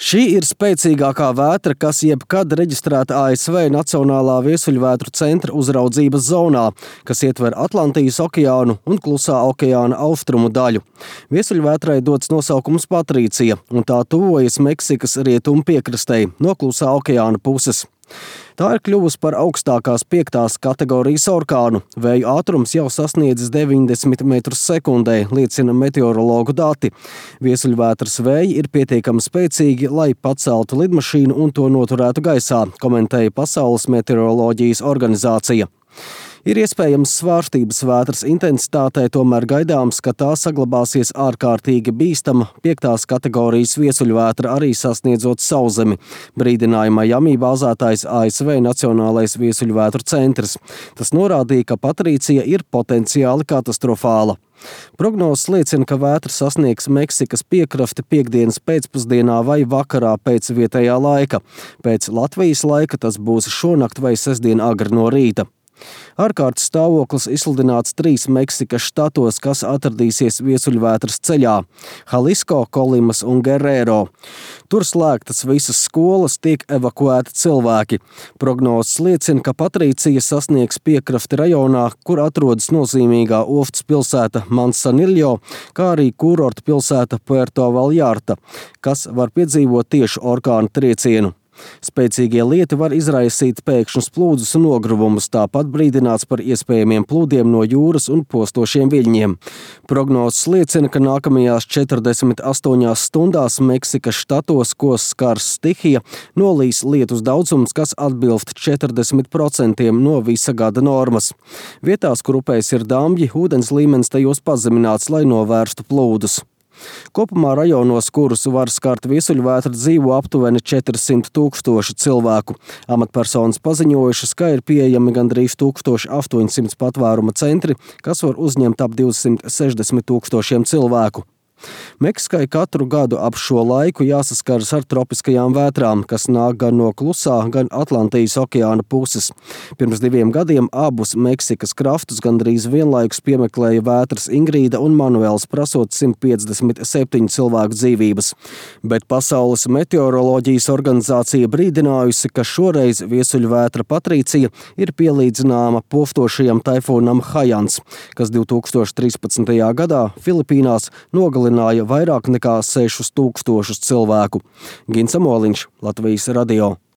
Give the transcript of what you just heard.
Šī ir spēcīgākā vētra, kas jebkad reģistrēta ASV Nacionālā viesuļvētru centra uzraudzības zonā, kas ietver Atlantijas okeānu un Klusā okeāna austrumu daļu. Viesuļvētrai dots nosaukums Patrīcija, un tā tuvojas Meksikas rietumu piekrastei no Klusā okeāna puses. Tā ir kļuvusi par augstākās 5. kategorijas orkānu. Vēju ātrums jau sasniedzis 90 metrus sekundē, liecina meteorologu dati. Viesuļvētras vēji ir pietiekami spēcīgi, lai paceltu lidmašīnu un to noturētu gaisā, komentēja Pasaules meteoroloģijas organizācija. Ir iespējams svārstības vētras intensitātei, tomēr gaidāms, ka tā saglabāsies ārkārtīgi bīstama 5. kategorijas viesuļvētra, arī sasniedzot Sauszemi, brīdināja Miami bāzētais ASV Nacionālais viesuļvētru centrs. Tas norādīja, ka Patrīcija ir potenciāli katastrofāla. Prognozes liecina, ka vētra sasniegs Meksikas piekrasti piektdienas pēcpusdienā vai vakarā pēc vietējā laika. Pēc Latvijas laika tas būs šonakt vai sestdien agri no rīta. Ārkārtas stāvoklis izsludināts 3 Meksikas štatos, kas atradīsies viesuļvētras ceļā – Jalisco, Kolimas un Guerrero. Tur slēgtas visas skolas, tiek evakuēti cilvēki. Prognozes liecina, ka Patrīcija sasniegs piekrasti rajonā, kur atrodas nozīmīgā ostas pilsēta Mansanillo, kā arī kurorta pilsēta Puerto Vallarta, kas var piedzīvot tieši orkāna triecienu. Spēcīgie lieti var izraisīt pēkšņus plūdus un nogruvumus, tāpat brīdināts par iespējamiem plūdiem no jūras un postošiem viļņiem. Prognozes liecina, ka nākamajās 48 stundās Meksikas štatos, ko skars stihija, nolīs lietus daudzums, kas atbilst 40% no visa gada normas. Vietās, kur upēs ir damji, ūdens līmenis tajos pazemināts, lai novērstu plūdus. Kopumā rajonos, kurus var skart viesuļvētra, dzīvo aptuveni 400 000 cilvēku. Amatpersonas paziņojušas, ka ir pieejami gandrīz 1800 patvēruma centri, kas var uzņemt ap 260 000 cilvēku. Meksikai katru gadu ap šo laiku jāsaskaras ar tropiskajām vētrām, kas nāk gan no Klusā, gan Atlantijas okeāna puses. Pirms 2 gadiem abus Meksikas krastus gandrīz vienlaikus piemeklēja vētras Ingrīda un Manuels, prasot 157 cilvēku dzīvības. Bet Pasaules meteoroloģijas organizācija brīdinājusi, ka šoreiz viesuļvētra Patrīcija ir pielīdzināma postošajam taifūnam Haians, kas 2013. gadā Filipīnās nogalināja vairāk nekā 6000 cilvēku. Gins Amoliņš, Latvijas radio.